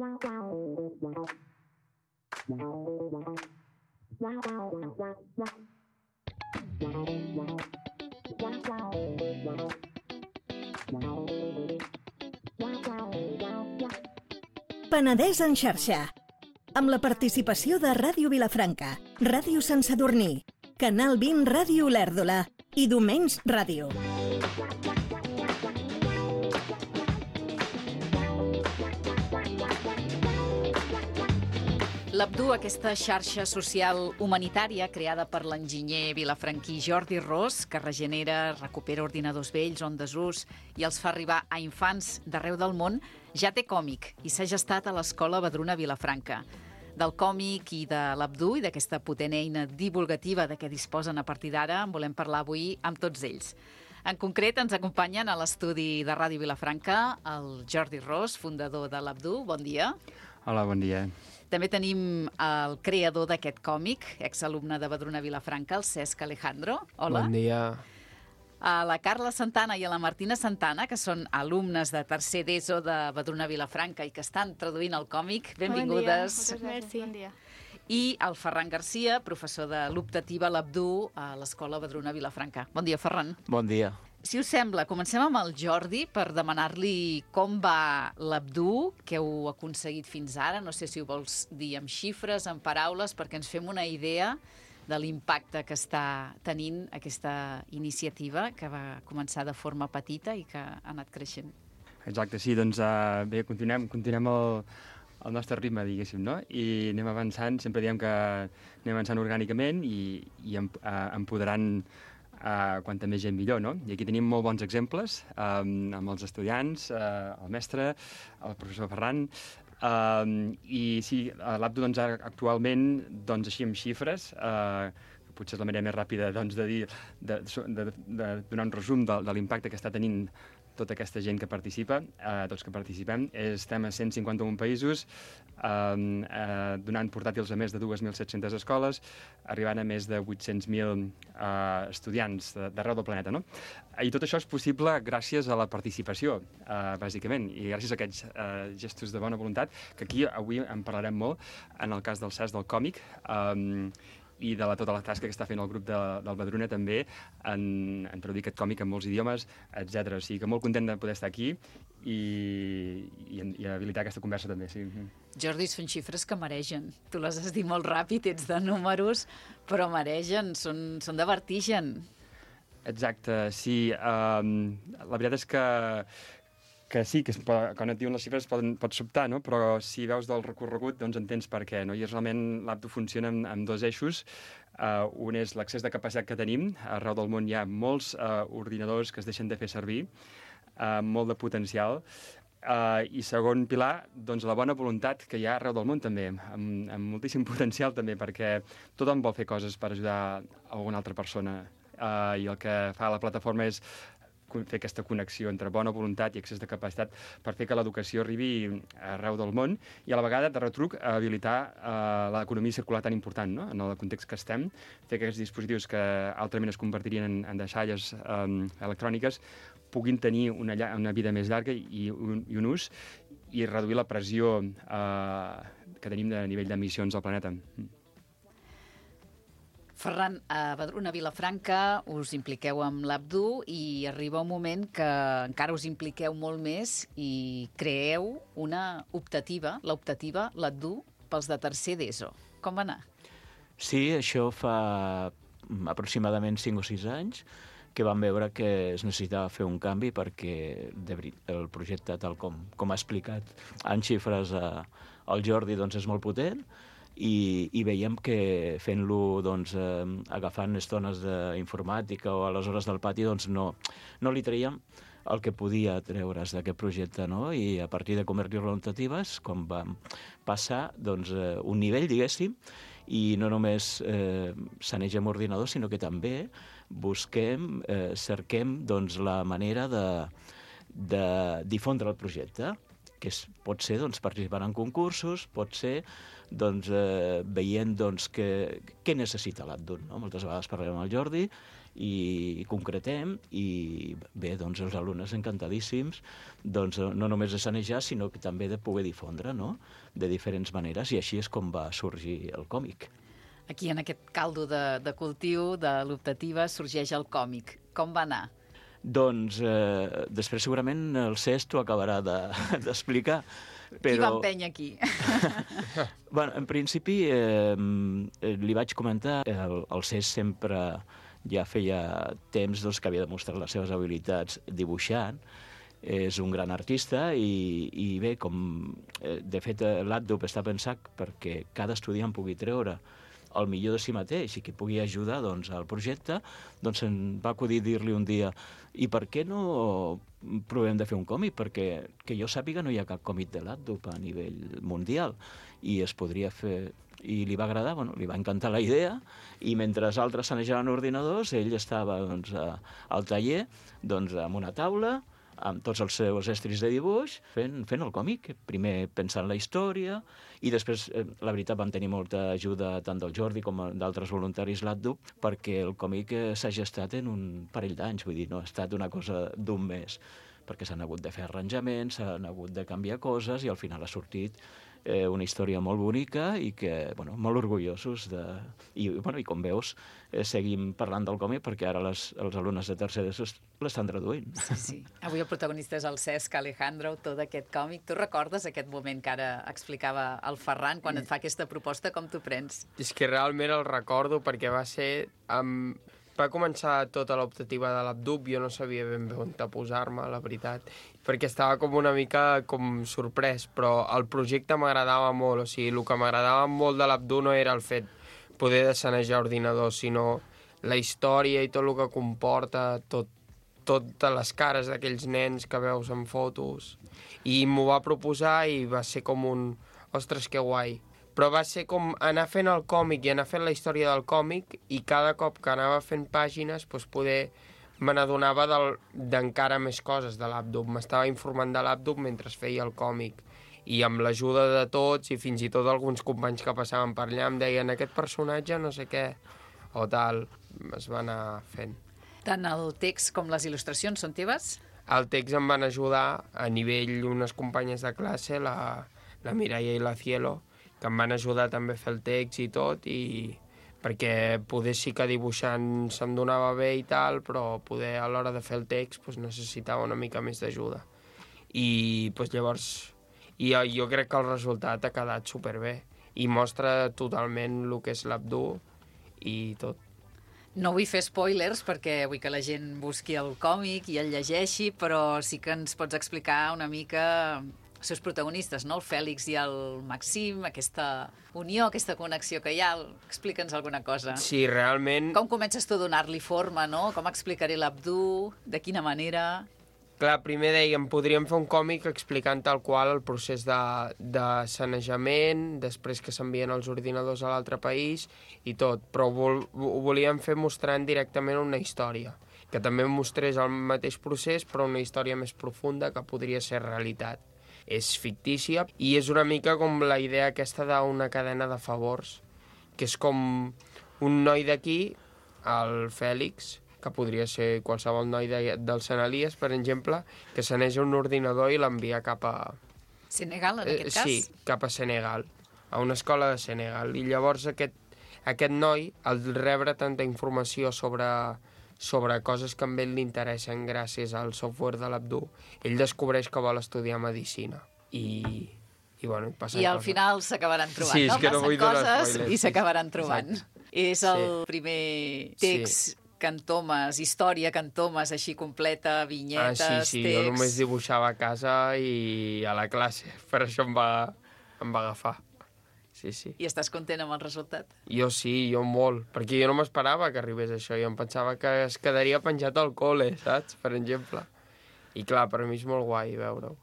Penedès en xarxa, amb la participació de Ràdio Vilafranca, Ràdio Sant Sadurní, Canal 20 Ràdio Olèrdola i Domens Ràdio. L'Abdu, aquesta xarxa social humanitària creada per l'enginyer vilafranquí Jordi Ros, que regenera, recupera ordinadors vells o en desús i els fa arribar a infants d'arreu del món, ja té còmic i s'ha gestat a l'Escola Vedruna Vilafranca. Del còmic i de l'Abdu i d'aquesta potent eina divulgativa de què disposen a partir d'ara en volem parlar avui amb tots ells. En concret, ens acompanyen a l'estudi de Ràdio Vilafranca el Jordi Ros, fundador de l'Abdu. Bon dia. Hola, bon dia. També tenim el creador d'aquest còmic, exalumne de Vedruna Vilafranca, el Cesc Alejandro. Hola. Bon dia. A la Carla Santana i a la Martina Santana, que són alumnes de tercer d'ESO de Vedruna Vilafranca i que estan traduint el còmic. Benvingudes. Bon dia. Bon dia. I el Ferran Garcia, professor de l'optativa l'Abdu a l'Escola Vedruna Vilafranca. Bon dia, Ferran. Bon dia. Si us sembla, comencem amb el Jordi per demanar-li com va l'Abdu, què heu aconseguit fins ara. No sé si ho vols dir amb xifres, amb paraules, perquè ens fem una idea de l'impacte que està tenint aquesta iniciativa que va començar de forma petita i que ha anat creixent. Exacte, sí, doncs bé, continuem el nostre ritme, diguéssim, no? I anem avançant, sempre diem que anem avançant orgànicament i empoderant quanta més gent millor, no? I aquí tenim molt bons exemples amb els estudiants, el mestre, el professor Ferran, i sí, l'Abdu doncs, actualment, doncs, així amb xifres, potser és la manera més ràpida doncs, de donar un resum de l'impacte que està tenint tota aquesta gent que participa, tots que participem. Estem a 151 països, donant portàtils a més de 2.700 escoles, arribant a més de 800.000 estudiants d'arreu del planeta, no? I tot això és possible gràcies a la participació, bàsicament, i gràcies a aquests gestos de bona voluntat, que aquí avui en parlarem molt, en el cas del Cesc del còmic, i de tota la tasca que està fent el grup del Vedruna també en traduir aquest còmic en molts idiomes, etc. O sigui que molt content de poder estar aquí i habilitar aquesta conversa també, sí. Jordi, són xifres que mereixen. Tu les has dit molt ràpid, ets de números, però mereixen, són de vertigen. Exacte, sí. La veritat és que sí, que quan et diuen les xifres pot sobtar, no? Però si veus del recorregut, doncs entens per què, no? I realment l'Abdu funciona amb dos eixos. Un és l'accés de capacitat que tenim. Arreu del món hi ha molts ordinadors que es deixen de fer servir, molt de potencial. I segon pilar, doncs la bona voluntat que hi ha arreu del món també, amb moltíssim potencial també, perquè tothom vol fer coses per ajudar alguna altra persona. I el que fa la plataforma és fer aquesta connexió entre bona voluntat i accés de capacitat per fer que l'educació arribi arreu del món i a la vegada, de retruc, habilitar l'economia circular tan important, no? En el context que estem, fer que aquests dispositius que altrament es convertirien en deixalles electròniques puguin tenir una vida més llarga i un ús i reduir la pressió que tenim a nivell d'emissions al planeta. Ferran, a Vedruna Vilafranca us impliqueu amb l'Abdu i arriba un moment que encara us impliqueu molt més i creeu una optativa, l'optativa, l'Abdu, pels de tercer d'ESO. Com va anar? Sí, això fa aproximadament 5 o 6 anys que vam veure que es necessitava fer un canvi perquè el projecte, tal com ha explicat en xifres el Jordi, doncs és molt potent, i veiem que fent-lo doncs, agafant estones d'informàtica o a les hores del pati doncs no li traiem el que podia treure's d'aquest projecte, no? I a partir de convertir-lo en optatives, com vam passar doncs, un nivell, diguéssim, i no només sanegem ordinadors, sinó que també busquem, cerquem doncs, la manera de difondre el projecte, que pot ser doncs, participant en concursos, pot ser doncs, veient doncs, què necessita l'Abdul. No? Moltes vegades parlem amb el Jordi i concretem, i bé, doncs els alumnes encantadíssims, doncs no només de sanejar, sinó que també de poder difondre, no? De diferents maneres, i així és com va sorgir el còmic. Aquí, en aquest caldo de cultiu de l'optativa, sorgeix el còmic. Com va anar? Doncs després segurament el Cesc t'ho acabarà d'explicar. Però... Qui va empènyer aquí? Bueno, en principi, li vaig comentar, el Cesc sempre ja feia temps doncs, que havia demostrat les seves habilitats dibuixant, és un gran artista i bé, de fet l'ADUP està pensat perquè cada estudiant pugui treure el millor de si mateix i que pugui ajudar doncs, al projecte, doncs em va acudir dir-li un dia i per què no provem de fer un còmic? Perquè que jo sàpiga no hi ha cap còmic de l'ADUP a nivell mundial i es podria fer... I li va agradar, bueno, li va encantar la idea, i mentre altres sanejaven ordinadors, ell estava doncs, al taller doncs, amb una taula, amb tots els seus estris de dibuix, fent el còmic. Primer pensant la història, i després, la veritat, vam tenir molta ajuda tant del Jordi com d'altres voluntaris l'ADUP, perquè el còmic s'ha gestat en un parell d'anys, vull dir, no ha estat una cosa d'un mes, perquè s'han hagut de fer arranjaments, s'han hagut de canviar coses, i al final ha sortit una història molt bonica i que, bueno, molt orgullosos de... I com veus, seguim parlant del còmic perquè ara els alumnes de tercer d'ESO l'estan traduint. Sí. Avui el protagonista és el Cesc Alejandro, autor d'aquest còmic. Tu recordes aquest moment que ara explicava el Ferran, quan et fa aquesta proposta, com t'ho prens? És que realment el recordo perquè va ser... Va començar tota l'optativa de l'Abdup, jo no sabia ben bé on posar-me, la veritat, perquè estava com una mica com sorprès, però el projecte m'agradava molt, o sigui, el que m'agradava molt de l'Abdup no era el fet poder de sanejar ordinadors, sinó la història i tot el que comporta, totes les cares d'aquells nens que veus en fotos, i m'ho va proposar i va ser com un... Ostres, que guai! Però va ser com anar fent el còmic i anar fent la història del còmic, i cada cop que anava fent pàgines doncs poder me n'adonava d'encara més coses de l'Abdup. M'estava informant de l'Abdup mentre feia el còmic, i amb l'ajuda de tots i fins i tot alguns companys que passaven per allà em deien aquest personatge no sé què o tal, es va anar fent. Tant el text com les il·lustracions són teves? El text em van ajudar a nivell unes companyes de classe, la Mireia i la Cielo, que em van ajudar també a fer el text i tot, i perquè poder sí que dibuixant se'm donava bé i tal, però poder a l'hora de fer el text doncs, necessitava una mica més d'ajuda. I doncs, llavors jo crec que el resultat ha quedat superbé i mostra totalment el que és l'Abdup i tot. No vull fer spoilers perquè vull que la gent busqui el còmic i el llegeixi, però sí que ens pots explicar una mica els seus protagonistes, no? El Fèlix i el Maxim, aquesta unió, aquesta connexió que hi ha. Explica'ns alguna cosa. Sí, realment... Com comences tu a donar-li forma, no? Com explicaré l'Abdup? De quina manera? Clar, primer dèiem, podríem fer un còmic explicant tal qual el procés de sanejament, després que s'envien els ordinadors a l'altre país i tot, però ho volíem fer mostrant directament una història, que també mostrés el mateix procés, però una història més profunda que podria ser realitat. És fictícia i és una mica com la idea aquesta d'una cadena de favors, que és com un noi d'aquí, el Fèlix, que podria ser qualsevol noi del Sant Elies, per exemple, que saneja un ordinador i l'envia cap a... Senegal, en aquest cas? Sí, cap a Senegal, a una escola de Senegal. I llavors aquest noi, al rebre tanta informació sobre coses que a ell li interessen gràcies al software de l'Abdup, ell descobreix que vol estudiar medicina. I bueno, passen coses. I al final s'acabaran trobant, sí, no? Que no passen coses i s'acabaran trobant. Exacte. És el primer text, cantomes, història, cantomes, així completa, vinyetes, text... Sí, jo només dibuixava a casa i a la classe, per això em va agafar. Sí. I estàs content amb el resultat? Jo sí, jo molt, perquè jo no m'esperava que arribés això, jo em pensava que es quedaria penjat al col·le, saps? Per exemple. I clar, per mi és molt guai veure-ho.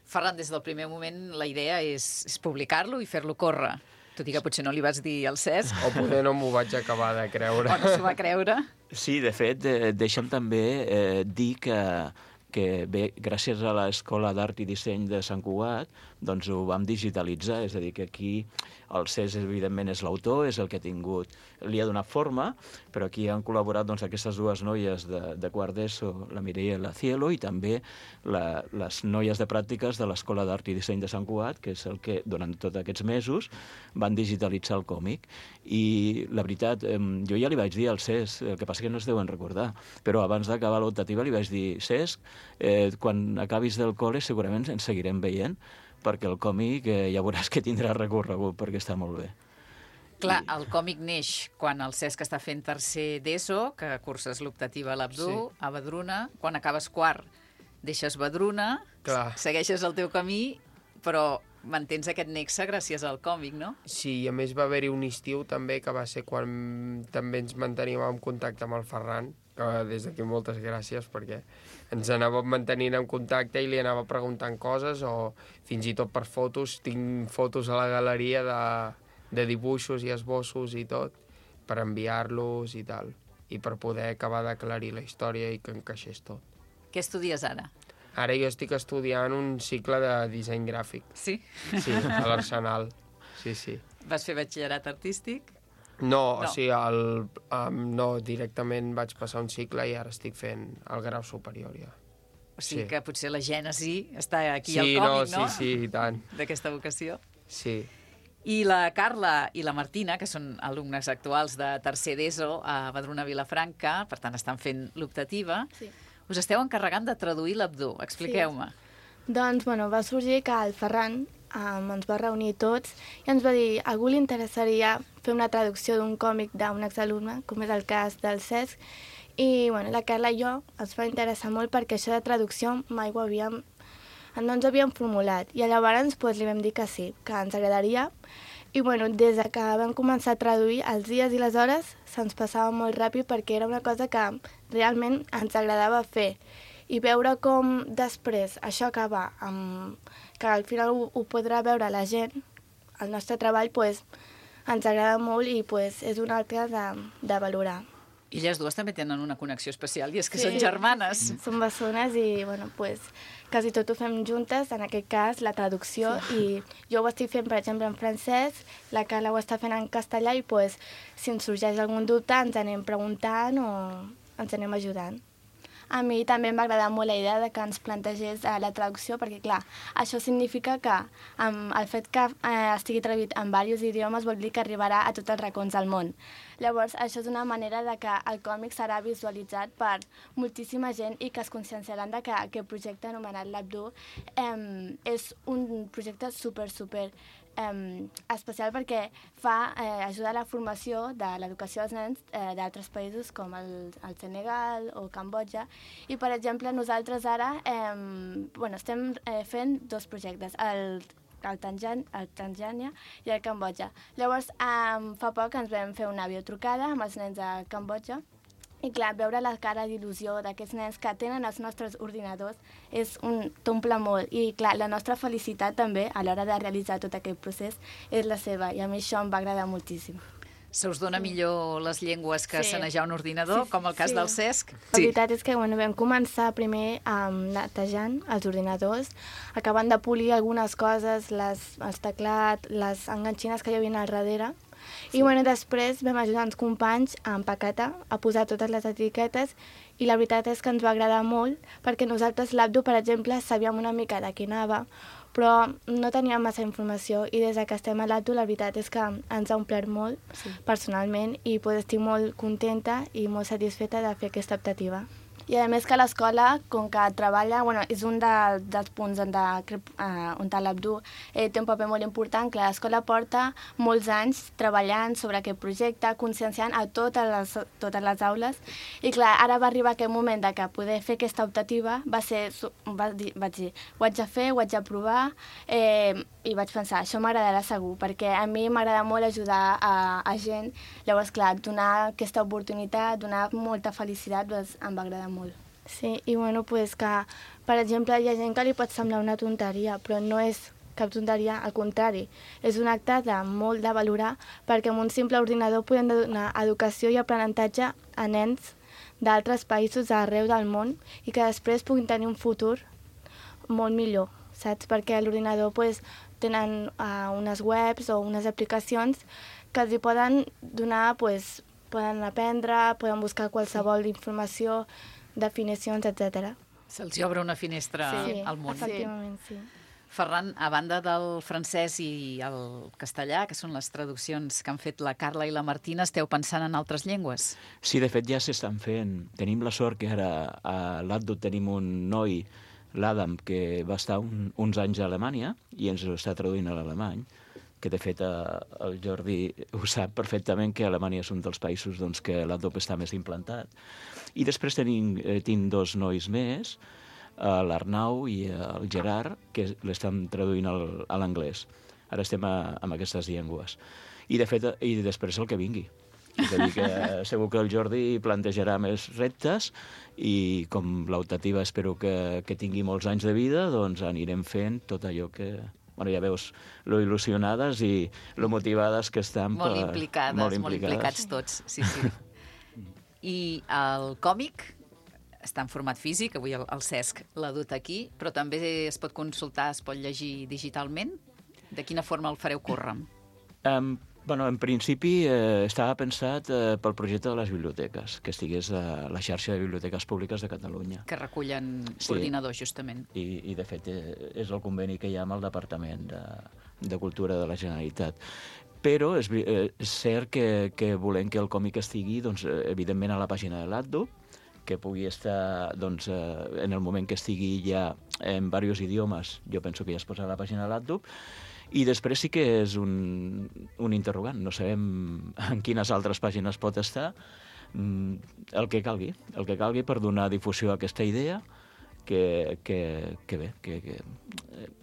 Ferran, des del primer moment la idea és publicar-lo i fer-lo córrer. Tot i que potser no li vas dir al Cesc. O poder no m'ho vaig acabar de creure. O no s'ho va creure. Sí, de fet, deixa'm també dir que bé, gràcies a l'Escola d'Art i Disseny de Sant Cugat, doncs ho vam digitalitzar, és a dir, que aquí El Cesc, evidentment, és l'autor, és el que ha tingut, li ha donat forma, però aquí han col·laborat doncs, aquestes dues noies de quart d'ESO, la Mireia i la Cielo, i també les noies de pràctiques de l'Escola d'Art i Disseny de Sant Cugat, que és el que, durant tots aquests mesos, van digitalitzar el còmic. I la veritat, jo ja li vaig dir al Cesc, el que passa que no es deuen recordar, però abans d'acabar l'optativa li vaig dir: Cesc, quan acabis del col·le segurament ens seguirem veient, perquè el còmic ja veuràs que tindrà recorregut, perquè està molt bé. Clar, el còmic neix quan el Cesc està fent tercer d'ESO, que curses l'optativa a l'Abdú, a Badruna. Quan acabes quart, deixes Badruna, segueixes el teu camí, però mantens aquest nexe gràcies al còmic, no? Sí, i a més va haver-hi un estiu també, que va ser quan també ens manteníem en contacte amb el Ferran, que des d'aquí moltes gràcies, perquè ens anàvem mantenint en contacte i li anava preguntant coses, o fins i tot per fotos. Tinc fotos a la galeria de dibuixos i esbossos i tot, per enviar-los i tal, i per poder acabar d'aclarir la història i que encaixés tot. Què estudies ara? Ara jo estic estudiant un cicle de disseny gràfic. Sí? Sí, a l'Arsenal. Sí, sí. Vas fer batxillerat artístic? No, o sigui, no, directament vaig passar un cicle i ara estic fent el grau superior ja. O sigui que potser la gènesi està aquí al còmic, no? Sí, i tant. D'aquesta vocació. Sí. I la Carla i la Martina, que són alumnes actuals de tercer d'ESO a Badruna Vilafranca, per tant estan fent l'optativa, us esteu encarregant de traduir l'Abdú. Expliqueu-me. Doncs, va sorgir que el Ferran ens va reunir tots i ens va dir: a algú li interessaria fer una traducció d'un còmic d'un exalumne, com és el cas del Cesc, i la Carla i jo ens va interessar molt perquè això de traducció mai no ens havíem formulat, i llavors li vam dir que sí, que ens agradaria. I des que vam començar a traduir, els dies i les hores se'ns passava molt ràpid, perquè era una cosa que realment ens agradava fer. I veure com després això acaba, que al final ho podrà veure la gent, el nostre treball, ens agrada molt i és un altre de valorar. I elles dues també tenen una connexió especial, i és que són germanes. Són bessones i, quasi tot ho fem juntes, en aquest cas, la traducció, i jo ho estic fent, per exemple, en francès, la Carla ho està fent en castellà, i si ens sorgeix algun dubte ens anem preguntant o ens anem ajudant. A mi també m'agrada molt la idea de que ens plantegés la traducció, perquè, clar, això significa que el fet que estigui traduït en diversos idiomes vol dir que arribarà a tots els racons del món. Llavors, això és una manera de que el còmic serà visualitzat per moltíssima gent i que es conscienciaran de que aquest projecte anomenat l'Abdú és un projecte super especial, perquè ajuda a la formació de l'educació dels nens d'altres països com el Senegal o Cambodja. I, per exemple, nosaltres ara estem fent dos projectes, el Tanzània i el Cambodja. Llavors, fa poc ens vam fer una videotrucada amb els nens de Cambodja, i clar, veure la cara d'il·lusió d'aquests nens que tenen els nostres ordinadors t'omple molt. I clar, la nostra felicitat també a l'hora de realitzar tot aquest procés és la seva, i a mi això em va agradar moltíssim. Se us dona millor les llengües que sanejar un ordinador, com el cas del Cesc? La veritat és que vam començar primer netejant els ordinadors, acabant de polir algunes coses, els teclats, les enganxines que hi havia al darrere. I després vam ajudar els companys a empaquetar, a posar totes les etiquetes, i la veritat és que ens va agradar molt, perquè nosaltres l'Abdú, per exemple, sabíem una mica de què anava, però no teníem massa informació, i des que estem a l'Abdú la veritat és que ens ha omplert molt personalment, i estic molt contenta i molt satisfeta de fer aquesta optativa. I a més que l'escola, com que treballa, és un dels punts on l'Abdú té un paper molt important, que l'escola porta molts anys treballant sobre aquest projecte, conscienciant a totes les aules, i clar, ara va arribar aquest moment de que poder fer aquesta optativa vaig dir, ho haig de fer, ho haig de provar, i vaig pensar, això m'agradarà segur, perquè a mi m'agrada molt ajudar a gent. Llavors, clar, donar aquesta oportunitat, donar molta felicitat, em va agradar molt. Sí, i que, per exemple, hi ha gent que li pot semblar una tonteria, però no és cap tonteria, al contrari. És un acte molt de valorar, perquè amb un simple ordinador podem donar educació i aprenentatge a nens d'altres països arreu del món, i que després puguin tenir un futur molt millor, saps? Perquè l'ordinador tenen unes webs o unes aplicacions que els hi poden donar, pues, poden aprendre, poden buscar qualsevol informació, definicions, etc. Se'ls hi obre una finestra al món. Efectivament, sí. Ferran, a banda del francès i el castellà, que són les traduccions que han fet la Carla i la Martina, esteu pensant en altres llengües? Sí, de fet ja s'estan fent. Tenim la sort que ara a l'Addo tenim un noi, l'Adam, que va estar uns anys a Alemanya i ens ho està traduint a l'alemany, que de fet el Jordi ho sap perfectament, que Alemanya és un dels països doncs, que l'Adobe està més implantat. I després tinc dos nois més, l'Arnau i el Gerard, que l'estan traduint a l'anglès. Ara estem amb aquestes llengües. I després el que vingui. És a dir, que segur que el Jordi plantejarà més reptes i com l'optativa espero que tingui molts anys de vida, doncs anirem fent tot allò que... Bueno, ja veus lo il·lusionades i lo motivades que estan. Molt implicats tots, sí. I el còmic està en format físic, avui el Cesc l'ha dut aquí, però també es pot consultar, es pot llegir digitalment? De quina forma el fareu córrer? En principi estava pensat pel projecte de les biblioteques, que estigués a la xarxa de biblioteques públiques de Catalunya. Que recullen ordinadors, justament. I de fet, és el conveni que hi ha amb el Departament de Cultura de la Generalitat. Però és cert que volem que el còmic estigui, doncs, evidentment, a la pàgina de l'Addo, que pugui estar, doncs, en el moment que estigui ja en diversos idiomes, jo penso que ja es posa a la pàgina de l'Addo. I després sí que és un interrogant. No sabem en quines altres pàgines pot estar. El que calgui per donar difusió a aquesta idea, que bé, que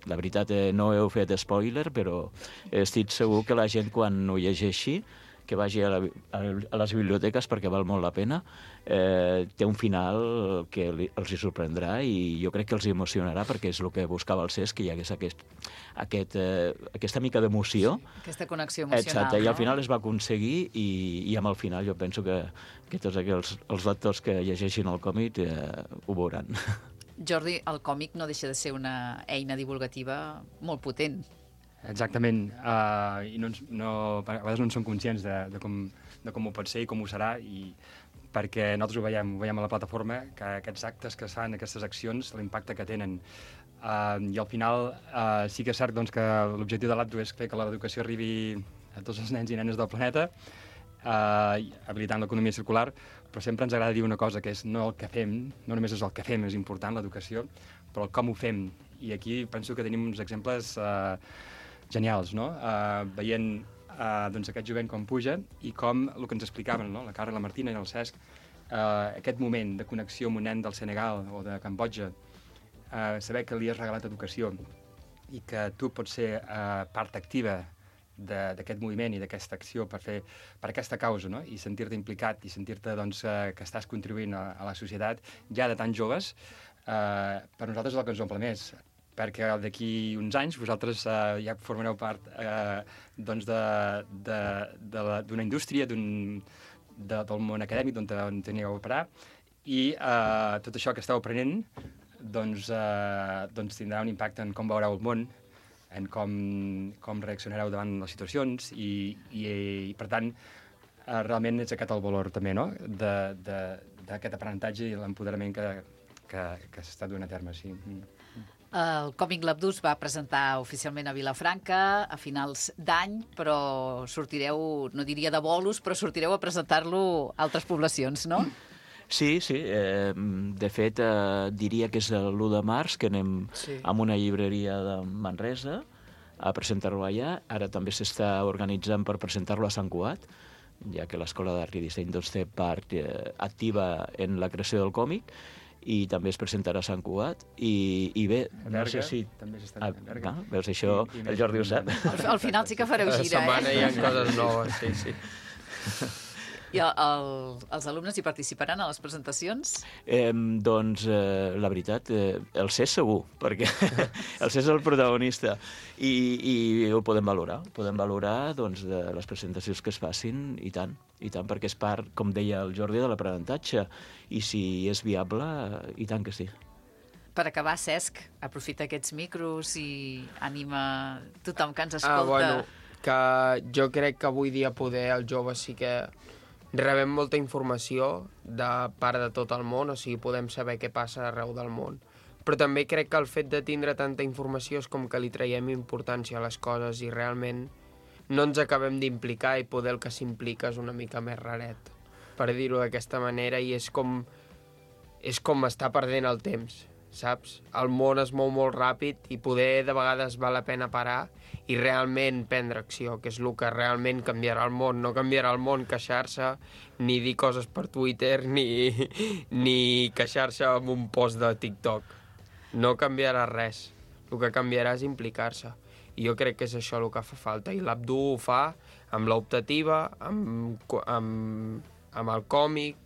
la veritat no heu fet spoiler, però estic segur que la gent quan ho llegeixi, que vagi a les biblioteques perquè val molt la pena, té un final que els hi sorprendrà i jo crec que els emocionarà perquè és el que buscava el Cesc, que hi hagués aquesta mica d'emoció. Aquesta connexió emocional. Exacte, i al final es va aconseguir i amb el final jo penso que tots els lectors que llegeixin el còmic ho veuran. Jordi, el còmic no deixa de ser una eina divulgativa molt potent. Exactament, i a vegades no en som conscients de com ho pot ser i com ho serà, i perquè nosaltres ho veiem a la plataforma, que aquests actes que es fan, aquestes accions, l'impacte que tenen. I al final sí que és cert doncs, que l'objectiu de l'Addo és fer que l'educació arribi a tots els nens i nenes del planeta, habilitant l'economia circular, però sempre ens agrada dir una cosa, que és no el que fem, no només és el que fem, és important l'educació, però el com ho fem. I aquí penso que tenim uns exemples genials, no? Veient doncs, aquest jovent com puja i com el que ens explicaven, no? La Carla, la Martina i el Cesc, aquest moment de connexió amb un nen del Senegal o de Cambodja, saber que li has regalat educació i que tu pots ser part activa d'aquest moviment i d'aquesta acció per aquesta causa, no? I sentir-te implicat i sentir-te doncs, que estàs contribuint a la societat ja de tan joves, per nosaltres és el que ens omple més, perquè d'aquí uns anys vosaltres ja formareu part doncs d'una indústria, del món acadèmic on teniu a operar, i tot això que esteu aprenent doncs tindrà un impacte en com veureu el món, en com reaccionareu davant les situacions, i per tant, realment és aquest el valor també, no?, d'aquest aprenentatge i l'empoderament que s'està duent a terme, sí. El Còmic Labdús va presentar oficialment a Vilafranca a finals d'any, però sortireu, no diria de bolos, però sortireu a presentar-lo a altres poblacions, no? Sí. De fet, diria que és l'1 de març, que anem a una llibreria de Manresa a presentar-lo allà. Ara també s'està organitzant per presentar-lo a Sant Cugat, ja que l'Escola d'Art i Disseny doncs, té part activa en la creació del còmic, i també es presentarà a Sant Cugat, i bé, no sé si... També s'està a Berga. Veus, això el Jordi ho sap. Al final sí que fareu gira, La setmana hi ha coses noves, sí. I els alumnes hi participaran a les presentacions? Doncs, la veritat, el Cesc segur, perquè el Cesc és el protagonista, i ho podem valorar. Podem valorar doncs, de les presentacions que es facin, i tant, perquè és part, com deia el Jordi, de l'aprenentatge, i si és viable, i tant que sí. Per acabar, Cesc, aprofita aquests micros i anima tothom que ens escolta. Que jo crec que avui dia poder els joves sí que rebem molta informació de part de tot el món, o sigui, podem saber què passa arreu del món. Però també crec que el fet de tindre tanta informació és com que li traiem importància a les coses i realment no ens acabem d'implicar i poder el que s'implica és una mica més raret, per dir-ho d'aquesta manera, i és com estar perdent el temps, saps? El món es mou molt ràpid i poder de vegades val la pena parar i realment prendre acció, que és el que realment canviarà el món. No canviarà el món queixar-se, ni dir coses per Twitter, ni queixar-se amb un post de TikTok. No canviarà res. El que canviarà és implicar-se. I jo crec que és això el que fa falta. I l'Abdu ho fa amb l'optativa, amb el còmic,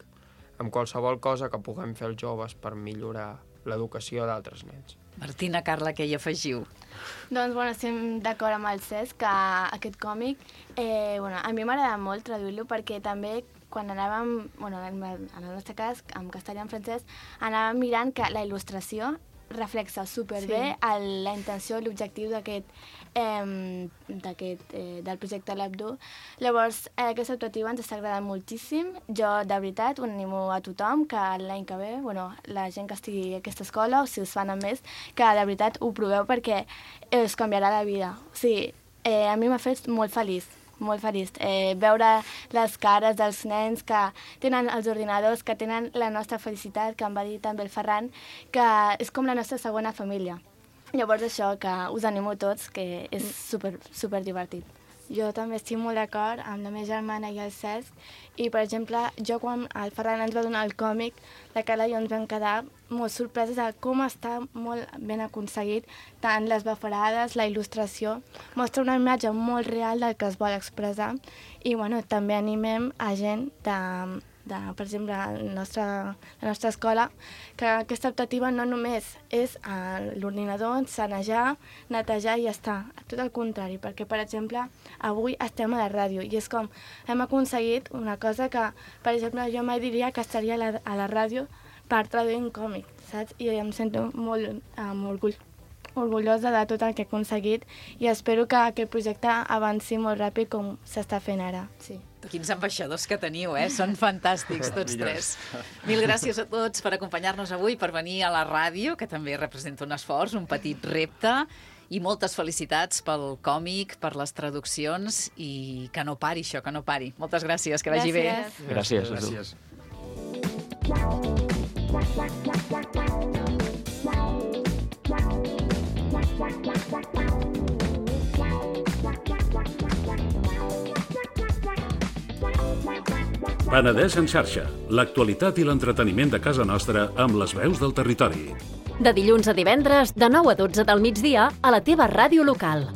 amb qualsevol cosa que puguem fer els joves per millorar l'educació d'altres nens. Martina, Carla, què hi afegiu? Doncs, estem d'acord amb el Cesc que aquest còmic, a mi m'agrada molt traduir-lo perquè també quan anàvem, en el nostre cas, en castellà i en francès, anàvem mirant que la il·lustració reflexa superbé la intenció i l'objectiu del projecte l'Abdu. Llavors, aquesta optativa ens està agradant moltíssim. Jo, de veritat, ho animo a tothom que l'any que ve, la gent que estigui a aquesta escola, o si us fan a més, que de veritat ho proveu perquè us canviarà la vida. O sigui, a mi m'ha fet molt feliç. Molt feliç. Veure les cares dels nens que tenen els ordinadors, que tenen la nostra felicitat, que em va dir també el Ferran, que és com la nostra segona família. Llavors això, que us animo tots, que és super divertit. Jo també estic molt d'acord amb la meva germana i el Cesc i, per exemple, jo quan el Ferran ens va donar el còmic, la Carla i jo ens vam quedar molt sorpreses de com està molt ben aconseguit, tant les bafarades, la il·lustració, mostra una imatge molt real del que es vol expressar i també animem a gent per exemple, la nostra escola, que aquesta optativa no només és a l'ordinador, sanejar, netejar i ja està. Tot el contrari, perquè, per exemple, avui estem a la ràdio i és com hem aconseguit una cosa que, per exemple, jo mai diria que estaria a la ràdio per traduir un còmic, saps? I em sento molt orgullosa de tot el que he aconseguit i espero que aquest projecte avanci molt ràpid com s'està fent ara. Sí. Quins ambaixadors que teniu, Són fantàstics tots tres. Mil gràcies a tots per acompanyar-nos avui, per venir a la ràdio, que també representa un esforç, un petit repte, i moltes felicitats pel còmic, per les traduccions, i que no pari això, que no pari. Moltes gràcies, que vagi bé. Gràcies. Gràcies. Penedès en xarxa, l'actualitat i l'entreteniment de casa nostra amb les veus del territori. De dilluns a divendres, de 9 a 12 del migdia, a la teva ràdio local.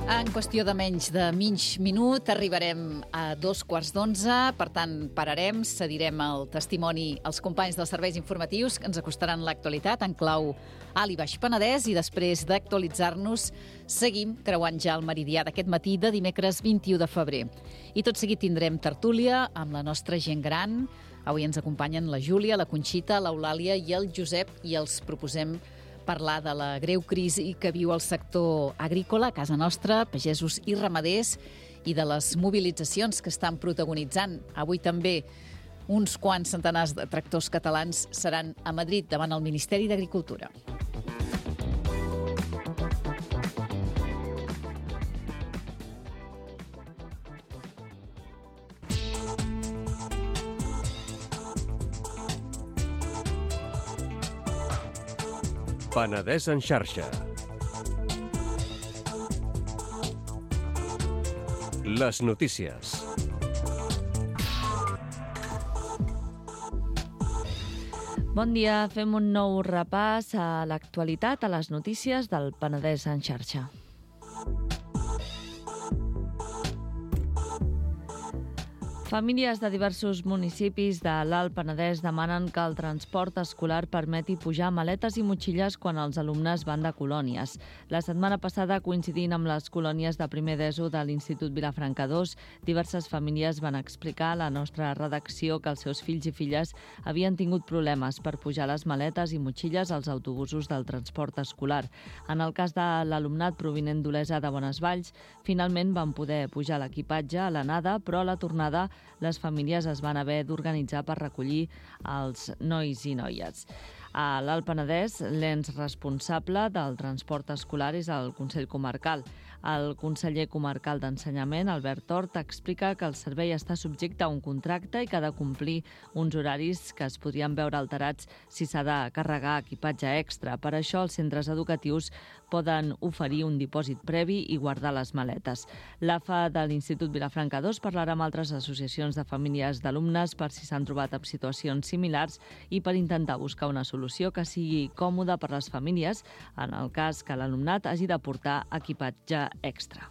En qüestió de menys de mig minut arribarem a 2:15, per tant pararem, cedirem el testimoni als companys dels serveis informatius que ens acostaran l'actualitat en clau Alt i Baix Penedès i després d'actualitzar-nos seguim creuant ja el meridià d'aquest matí de dimecres 21 de febrer. I tot seguit tindrem tertúlia amb la nostra gent gran. Avui ens acompanyen la Júlia, la Conxita, l'Eulàlia i el Josep i els proposem parlar de la greu crisi que viu el sector agrícola a casa nostra, pagesos i ramaders, i de les mobilitzacions que estan protagonitzant. Avui també uns quants centenars de tractors catalans seran a Madrid davant el Ministeri d'Agricultura. Penedès en xarxa. Les notícies. Bon dia, fem un nou repàs a l'actualitat, a les notícies del Penedès en xarxa. Famílies de diversos municipis de l'Alt Penedès demanen que el transport escolar permeti pujar maletes i motxilles quan els alumnes van de colònies. La setmana passada, coincidint amb les colònies de primer d'ESO de l'Institut Vilafranca II, diverses famílies van explicar a la nostra redacció que els seus fills i filles havien tingut problemes per pujar les maletes i motxilles als autobusos del transport escolar. En el cas de l'alumnat provinent d'Olesa de Bonesvalls, finalment van poder pujar l'equipatge a l'anada, però a la tornada les famílies es van haver d'organitzar per recollir els nois i noies. A l'Alt Penedès, l'ens responsable del transport escolar és el Consell Comarcal. El conseller comarcal d'Ensenyament, Albert Hort, explica que el servei està subjecte a un contracte i que ha de complir uns horaris que es podrien veure alterats si s'ha de carregar equipatge extra. Per això, els centres educatius poden oferir un dipòsit previ i guardar les maletes. L'AFA de l'Institut Vilafranca II parlarà amb altres associacions de famílies d'alumnes per si s'han trobat amb situacions similars i per intentar buscar una solució que sigui còmoda per les famílies en el cas que l'alumnat hagi de portar equipatge extra.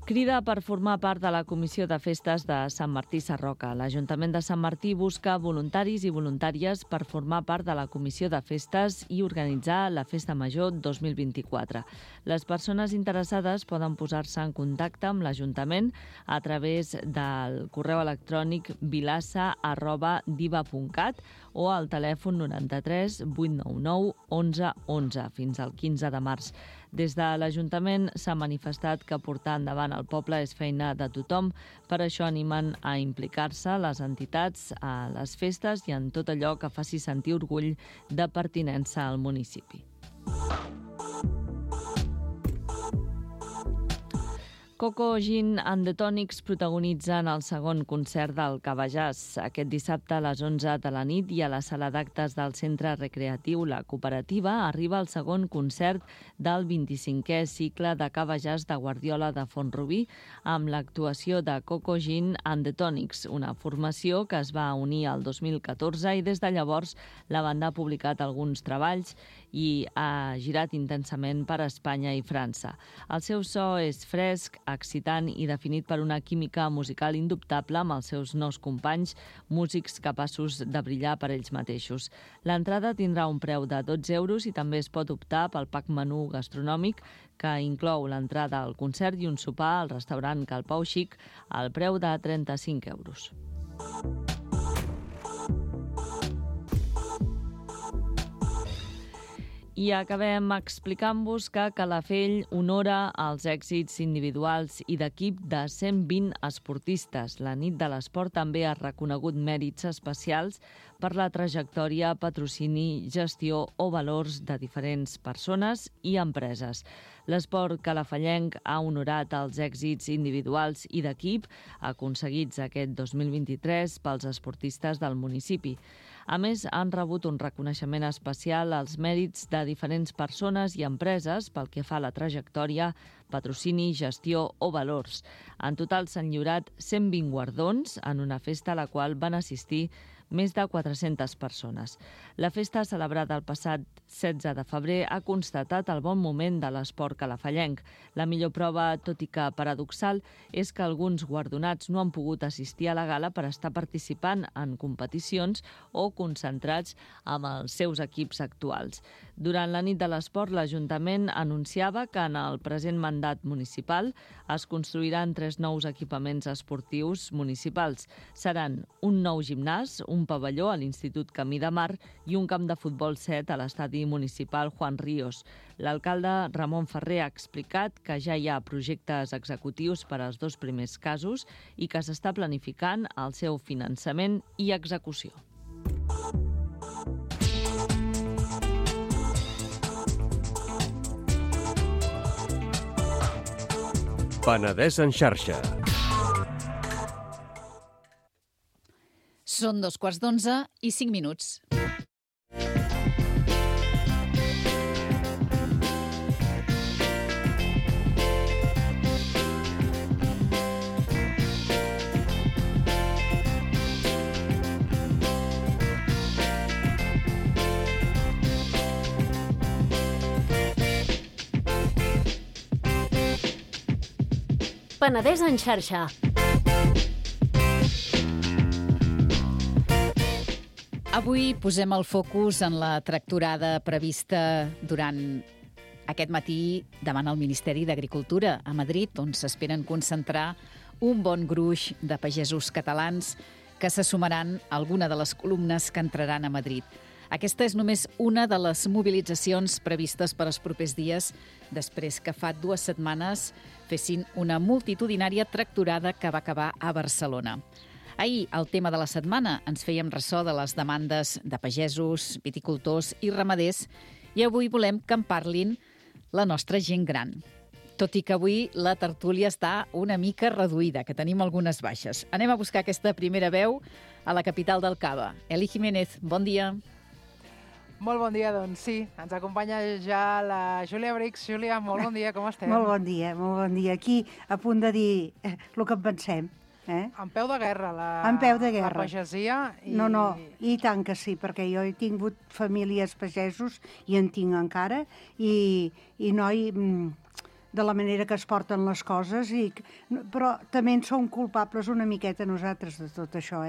Crida per formar part de la Comissió de Festes de Sant Martí Sarroca. L'Ajuntament de Sant Martí busca voluntaris i voluntàries per formar part de la Comissió de Festes i organitzar la Festa Major 2024. Les persones interessades poden posar-se en contacte amb l'Ajuntament a través del correu electrònic vilassa@diva.cat o al telèfon 93 899 11 11 fins al 15 de març. Des de l'Ajuntament s'ha manifestat que portar endavant el poble és feina de tothom, per això animen a implicar-se les entitats a les festes i en tot allò que faci sentir orgull de pertinença al municipi. Coco Gin and the Tonics protagonitzen el segon concert del Cabajàs. Aquest dissabte a les 11 de la nit i a la sala d'actes del Centre Recreatiu La Cooperativa arriba el segon concert del 25è cicle de Cabajàs de Guardiola de Font-rubí amb l'actuació de Coco Gin and the Tonics, una formació que es va unir el 2014 i des de llavors la banda ha publicat alguns treballs i ha girat intensament per Espanya i França. El seu so és fresc, excitant i definit per una química musical indubtable amb els seus nous companys, músics capaços de brillar per ells mateixos. L'entrada tindrà un preu de 12 euros i també es pot optar pel pack menú gastronòmic que inclou l'entrada al concert i un sopar al restaurant Cal Pau Xic al preu de 35 euros. I acabem explicant-vos que Calafell honora els èxits individuals i d'equip de 120 esportistes. La nit de l'esport també ha reconegut mèrits especials per la trajectòria, patrocini, gestió o valors de diferents persones i empreses. L'esport calafellenc ha honorat els èxits individuals i d'equip aconseguits aquest 2023 pels esportistes del municipi. A més, han rebut un reconeixement especial als mèrits de diferents persones i empreses pel que fa a la trajectòria, patrocini, gestió o valors. En total s'han lliurat 120 guardons en una festa a la qual van assistir més de 400 persones. La festa, celebrada el passat 16 de febrer, ha constatat el bon moment de l'esport calafellenc. La millor prova, tot i que paradoxal, és que alguns guardonats no han pogut assistir a la gala per estar participant en competicions o concentrats amb els seus equips actuals. Durant la nit de l'esport, l'Ajuntament anunciava que en el present mandat municipal es construiran 3 nous equipaments esportius municipals. Seran un nou gimnàs, un pavelló a l'Institut Camí de Mar i un camp de futbol 7 a l'estadi municipal Juan Ríos. L'alcalde Ramon Ferrer ha explicat que ja hi ha projectes executius per als 2 primers casos i que s'està planificant el seu finançament i execució. Penedès en xarxa. Són 11:15 i 5 minuts. Penedès en xarxa. Avui posem el focus en la tractorada prevista durant aquest matí davant el Ministeri d'Agricultura a Madrid, on s'esperen concentrar un bon gruix de pagesos catalans que se sumaran a alguna de les columnes que entraran a Madrid. Aquesta és només una de les mobilitzacions previstes per als propers dies, després que fa 2 setmanes fessin una multitudinària tractorada que va acabar a Barcelona. Ahir, al tema de la setmana, ens fèiem ressò de les demandes de pagesos, viticultors i ramaders i avui volem que en parlin la nostra gent gran. Tot i que avui la tertúlia està una mica reduïda, que tenim algunes baixes. Anem a buscar aquesta primera veu a la capital del Cava. Eli Jiménez, bon dia. Molt bon dia, doncs sí. Ens acompanya ja la Júlia Brix. Júlia, molt bon dia, com estem? Molt bon dia, molt bon dia. Aquí, a punt de dir el que en pensem. En peu de guerra, en peu de guerra. La pagesia. No, i tant que sí, perquè jo he tingut famílies pagesos i en tinc encara, i noi, de la manera que es porten les coses, però també en som culpables una miqueta nosaltres de tot això,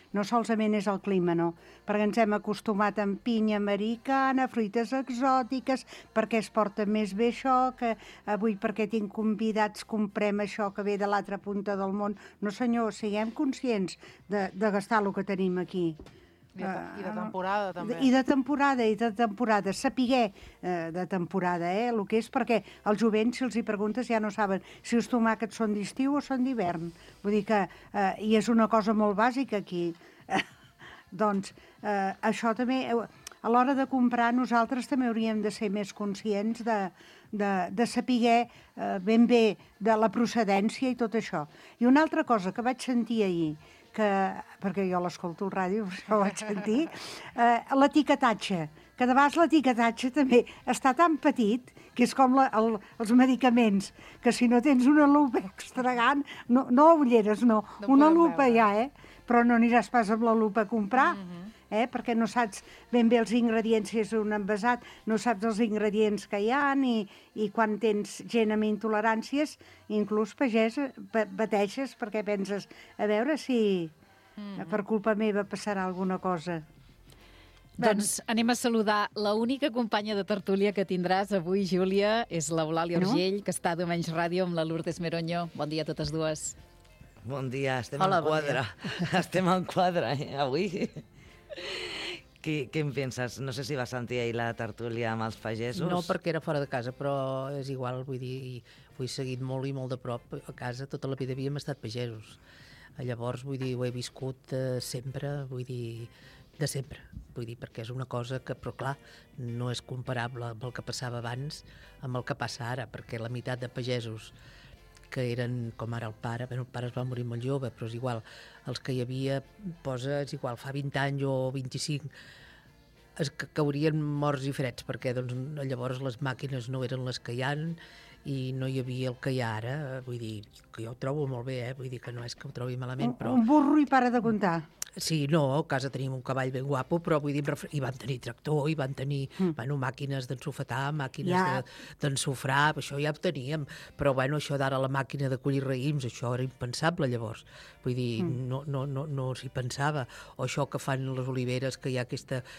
No solament és el clima, no, perquè ens hem acostumat amb pinya americana, fruites exòtiques, perquè es porta més bé això, que avui perquè tinc convidats comprem això que ve de l'altra punta del món. No senyor, siguem conscients de gastar el que tenim aquí. I de temporada, també. I de temporada. Sapiguer de temporada, el que és, perquè als jovents, si els hi preguntes, ja no saben si els tomàquets són d'estiu o són d'hivern. Vull dir que, i és una cosa molt bàsica aquí. Doncs això també, a l'hora de comprar, nosaltres també hauríem de ser més conscients de sapiguer ben bé de la procedència i tot això. I una altra cosa que vaig sentir ahir, perquè jo l'escolto al ràdio, per això ho vaig sentir, l'etiquetatge, que de vegades l'etiquetatge també està tan petit, que és com els medicaments, que si no tens una lupa extra gran, no ulleres, no, una lupa ja, però no aniràs pas amb la lupa a comprar, perquè no saps ben bé els ingredients, si és un envasat, no saps els ingredients que hi ha, i quan tens gent amb intoleràncies, inclús pateixes perquè penses, a veure si per culpa meva passarà alguna cosa. Doncs anem a saludar l'única companya de tertúlia que tindràs avui, Júlia, és l'Eulàlia Urgell, que està a Diumenge Ràdio amb la Lourdes Meronyo. Bon dia a totes dues. Bon dia, estem en quadre. Estem en quadre, avui. Què en penses? No sé si vas sentir ahir la tertúlia amb els pagesos. No, perquè era fora de casa, però és igual, vull dir, ho he seguit molt i molt de prop. A casa tota la vida havíem estat pagesos. Llavors, vull dir, ho he viscut sempre, vull dir, de sempre. Vull dir, perquè és una cosa que, però clar, no és comparable amb el que passava abans amb el que passa ara, perquè la meitat de pagesos que eren, com ara el pare es va morir molt jove, però és igual, els que hi havia, és igual, fa 20 anys o 25, es caurien morts i freds, perquè doncs, llavors les màquines no eren les que hi ha i no hi havia el que hi ha ara, vull dir, que jo ho trobo molt bé, vull dir que no és que ho trobi malament, però... Un burro i para de comptar. Sí, no, a casa teníem un cavall ben guapo, però vull dir, i van tenir tractor, i van tenir màquines d'ensofetar, màquines d'ensofrar, això ja ho teníem, però bueno, això d'ara la màquina de collir raïms, això era impensable llavors, vull dir, no s'hi pensava, o això que fan les oliveres, que hi ha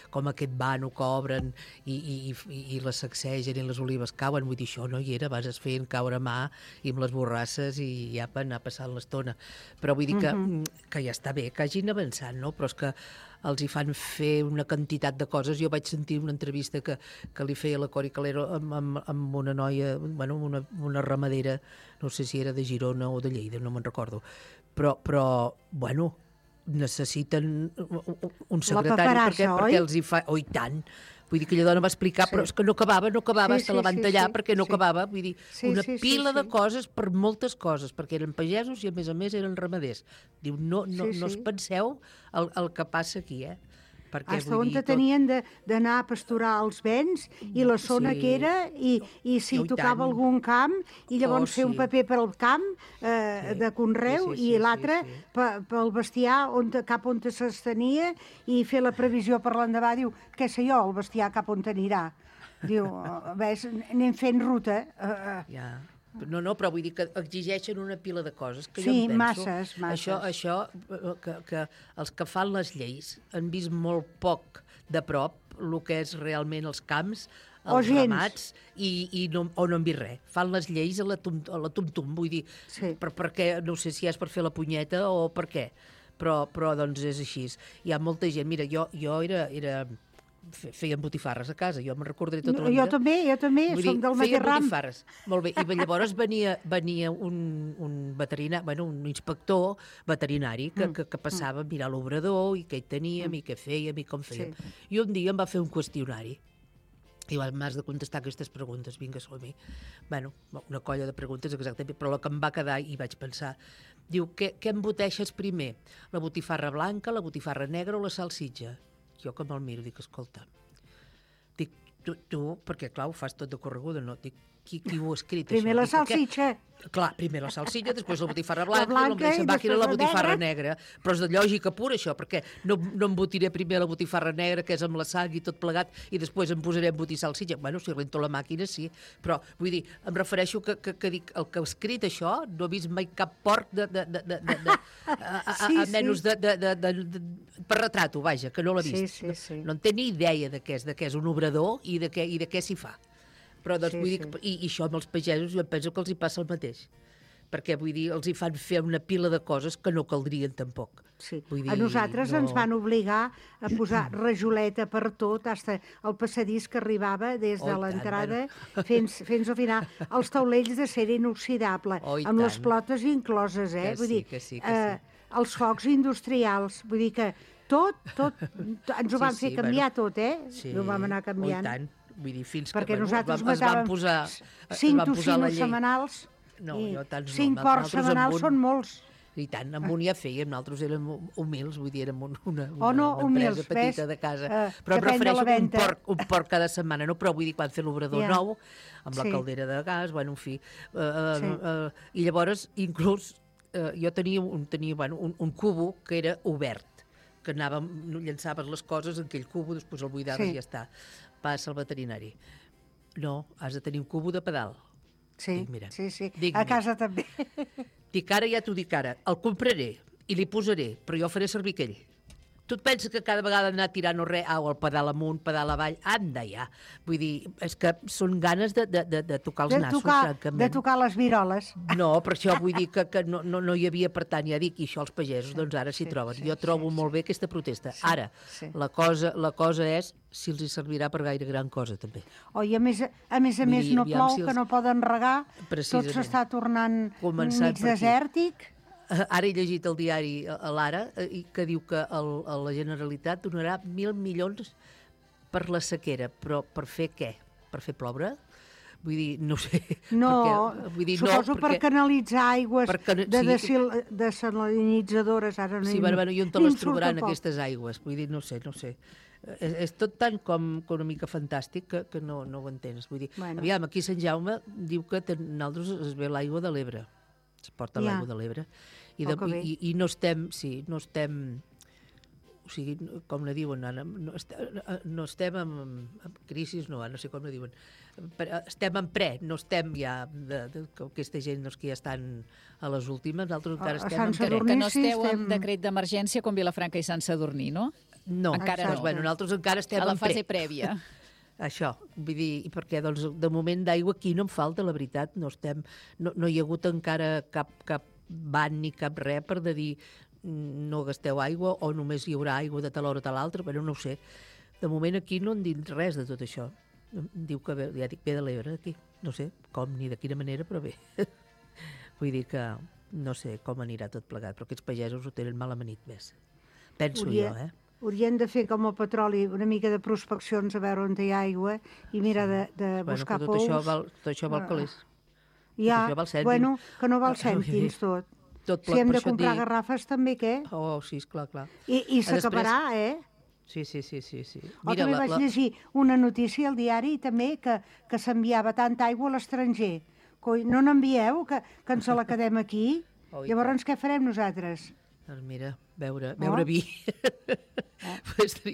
com aquest vano que obren i les sacsegen i les olives cauen, vull dir, això no hi era, vas feien caure a mà i amb les borrasses i ja per anar passant l'estona, però vull dir que ja està bé, que hagin avançat, no? Però és que els hi fan fer una quantitat de coses. Jo vaig sentir una entrevista que li feia la Cori Calero amb una noia, bueno, una ramadera, no sé si era de Girona o de Lleida, no me'n recordo, però bueno, necessiten un secretari perquè els hi fa... Oh, i tant! Vull dir que la dona va explicar, però és que no acabava, se la van tallar perquè no acabava. Vull dir, una pila de coses per moltes coses, perquè eren pagesos i a més eren ramaders. Diu, no us penseu el que passa aquí, Hasta on tenien d'anar a pasturar els vents i la zona que era, i si tocava algun camp, i llavors fer un paper per al camp de conreu, i l'altre pel bestiar cap on s'estenia, i fer la previsió per l'endavant. Diu, què sé jo, el bestiar cap on anirà? Diu, ves, anem fent ruta. No, però vull dir que exigeixen una pila de coses que jo Sí, em penso... masses. Això que els que fan les lleis han vist molt poc de prop el que és realment els camps, els ramats, o no han vist res. Fan les lleis a la tum-tum, vull dir, perquè no sé si és per fer la punyeta o per què, però doncs és així. Hi ha molta gent... Mira, jo feien botifarres a casa, jo me'n recordaré tota la vida. Jo també, som del mateix ram. Botifarres, molt bé. I llavors venia un veterinari, un inspector veterinari que passava a mirar l'obrador i què hi teníem i què fèiem i com fèiem. I un dia em va fer un qüestionari i m'has de contestar aquestes preguntes, vinga, som-hi. Una colla de preguntes, exactament, però la que em va quedar i vaig pensar, diu, què emboteixes primer? La botifarra blanca, la botifarra negra o la salsitxa? Jo que me'l miro, dic, escolta, dic, tu, perquè clar, ho fas tot de correguda, no? Dic, qui ho ha escrit, primer això? La salsitxa. Clar, primer la salsitxa, després la botifarra blanca i la botifarra negra. Però és de lògica pura, això, perquè no embotiré primer la botifarra negra, que és amb la sang i tot plegat, i després em posaré a embotir salsitxa. Si rento la màquina, sí. Però, vull dir, em refereixo que dic, el que ha escrit això, no he vist mai cap porc a menys per retrato, vaja, que no l'ha vist. No en té ni idea de què és un obrador i de què s'hi fa. Però doncs vull dir, i això amb els pagesos jo penso que els hi passa el mateix, perquè vull dir, els hi fan fer una pila de coses que no caldrien tampoc. A nosaltres ens van obligar a posar rajoleta per tot, fins al passadís que arribava des de l'entrada fins al final, els taulells de cera inoxidable, amb les plotes incloses, vull dir, els focs industrials, vull dir que tot, ens ho van fer canviar tot, ho vam anar canviant. I tant. Vull dir, fins perquè que nosaltres es van posar 5 tocinos setmanals i 5 porcs setmanals són molts. I tant, amb un ja fèiem, nosaltres érem humils, vull dir, érem una humils, empresa petita de casa. Però em refereixo un porc cada setmana, no? Però vull dir, quan fer l'obrador nou, amb la caldera de gas, en fi. I llavors, inclús, jo tenia un cubo que era obert, que llançaves les coses en aquell cubo, després el buidaves i ja està. Passa al veterinari. No, has de tenir un cubo de pedal. Sí, a casa també. Dic, ara ja t'ho dic ara, el compraré i li posaré, però jo faré servir aquell. Tu et penses que cada vegada anar tirant o res, el pedal amunt, pedal avall, anda ja. Vull dir, és que són ganes de tocar els nassos, francament. De tocar les viroles. No, per això vull dir que no hi havia, per tant, ja dic, i això els pagesos, doncs ara s'hi troben. Jo trobo molt bé aquesta protesta. Ara, la cosa és si els hi servirà per gaire gran cosa, també. I a més no plou, que no poden regar, tot s'està tornant mig desèrtic. Ara he llegit el diari a l'Ara que diu que la Generalitat donarà 1.000 milions per la sequera, però per fer què? Per fer ploure? Vull dir, no sé. No, suposo per canalitzar aigües desalinitzadores. Sí, i on te les trobaran aquestes aigües? Vull dir, no sé. És tot tant com una mica fantàstic que no ho entens. Vull dir, aviam, aquí Sant Jaume diu que nosaltres es ve l'aigua de l'Ebre. Es porta l'aigua de l'Ebre. I no estem, o sigui, com ne diuen, no estem en crisi, no sé com ne diuen, estem en no estem ja, aquesta gent que ja estan a les últimes, nosaltres encara estem en pre. Que no esteu en decret d'emergència com Vilafranca i Sant Sadurní, no? No, nosaltres encara estem en a la fase prèvia. Això, vull dir, perquè doncs, de moment d'aigua aquí no em falta, la veritat, no hi ha hagut encara cap ban ni cap res per de dir no gasteu aigua o només hi haurà aigua de tal hora o tal altra, però no ho sé. De moment aquí no en dic res de tot això. Diu que ve de l'Ebre aquí, no sé com ni de quina manera, però bé. Vull dir que no sé com anirà tot plegat, però aquests pagesos ho tenen mal amanit més. Penso jo, Haurien de fer com el petroli, una mica de prospeccions a veure on hi ha aigua i mira de buscar pous. Tot això val calés. Ja, que no val cèntims tot. Si hem de comprar garrafes també, què? Sí, clar. I s'acabarà, Sí. També vaig llegir una notícia al diari també que s'enviava tanta aigua a l'estranger. No n'envieu, que ens la quedem aquí? Llavors què farem nosaltres? Doncs mira, beure vi.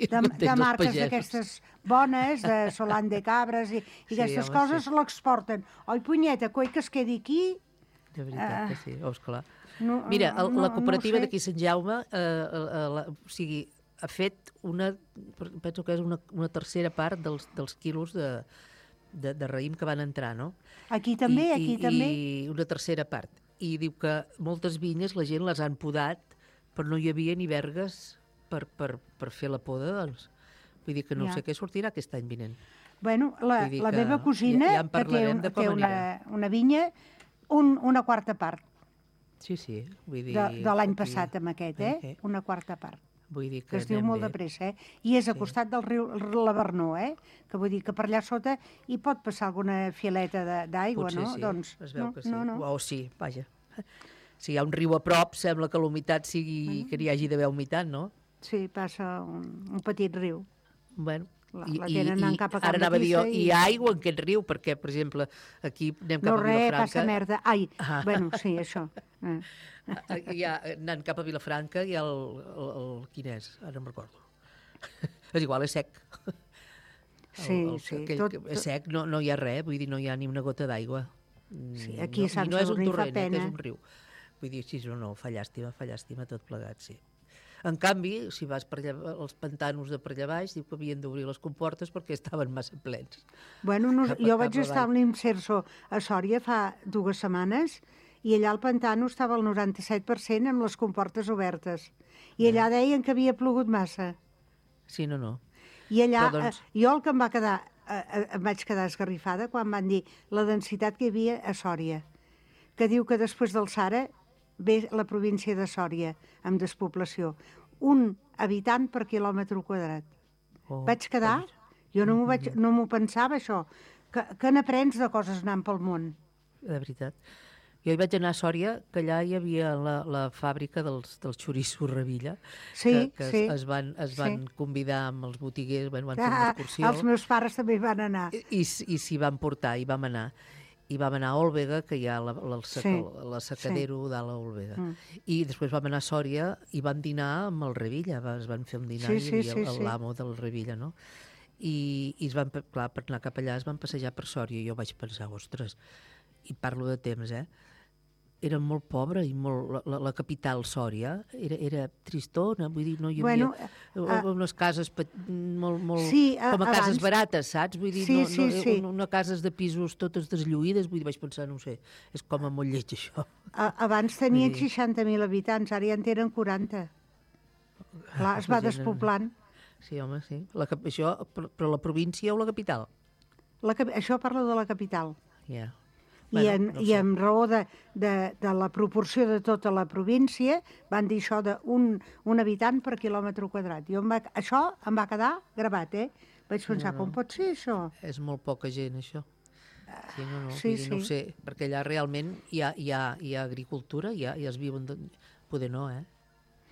De marques d'aquestes bones, de Solant de Cabres i aquestes coses l'exporten. Oi, punyeta, coi que es quedi aquí... De veritat que sí, esclar. Mira, la cooperativa d'aquí Sant Jaume, o sigui, ha fet penso que és una tercera part dels quilos de raïm que van entrar, no? Aquí també, també. I una tercera part. I diu que moltes vinyes la gent les han podat, però no hi havia ni vergues per fer la poda, doncs. Vull dir que no sé què sortirà aquest any vinent. Bueno, la meva cosina, que té una vinya, una quarta part. Sí. Vull dir... De l'any passat, amb aquest, una quarta part. Vull dir que es diu molt de pressa, I és a costat del riu Lavernó, que vull dir que per allà sota hi pot passar alguna fileta d'aigua, no? Potser sí, es veu que sí. O sí, vaja. Si hi ha un riu a prop, sembla que l'humitat sigui que n'hi hagi d'haver humitat, no? Sí, passa un petit riu. Bueno, la tenen anant cap a Can ara anava a dir jo, hi ha aigua en aquest riu, perquè, per exemple, aquí anem cap a Vilafranca... No, passa merda. Ai, bueno, sí, això. Anant cap a Vilafranca hi ha el... Quin és? Ara no em recordo. És igual, és sec. Sí. És sec, no hi ha res, vull dir, no hi ha ni una gota d'aigua. Sí, aquí a Sant Sadurní fa pena. Que és un riu. Vull dir, sí, no, fa llàstima tot plegat, sí. En canvi, si vas per allà, els pantanos de per allà baix, diu que havien d'obrir les comportes perquè estaven massa plens. Bueno, jo vaig estar amb l'Imserso a Sòria fa 2 setmanes i allà al pantano estava el 97% amb les comportes obertes. I allà deien que havia plogut massa. Sí, no. I allà, jo el que em vaig quedar esgarrifada quan van dir la densitat que hi havia a Sòria, que diu que després del Sara ve la província de Sòria, amb despoblació. 1 habitant per quilòmetre quadrat. Vaig quedar, jo no m'ho pensava, això, que n'aprens de coses anant pel món. De veritat. Jo hi vaig anar a Sòria, que allà hi havia la fàbrica dels xoriços Revilla, que es van convidar amb els botiguers, van fer una excursió. Els meus pares també hi van anar. I s'hi van portar, hi vam anar. I vam anar a Òlvega, que hi ha l'assecadero dalt a Òlvega. I després vam anar a Sòria i van dinar amb el Revilla, es van fer un dinar i hi havia l'amo del Revilla, no? I clar, per anar cap allà es van passejar per Sòria i jo vaig pensar, ostres, i parlo de temps, era molt pobra i la capital Sòria era tristona, vull dir, no hi havia unes cases molt com a cases barates, saps? Vull dir, no cases de pisos totes deslluïdes, vull dir, vaig pensar, no sé, és com a molt lleig això. Abans tenien 60.000 habitants, ara ja en tenen 40. Clar, es va despoblant. Sí, home, sí. Això, però la província o la capital? Això parlo de la capital. Ja. I en raó de la proporció de tota la província van dir això d'un habitant per quilòmetre quadrat. Això em va quedar gravat, Vaig pensar, com pot ser això? És molt poca gent, això. Sí, no ho sé, perquè allà realment hi ha agricultura, ja es viuen... Poder no,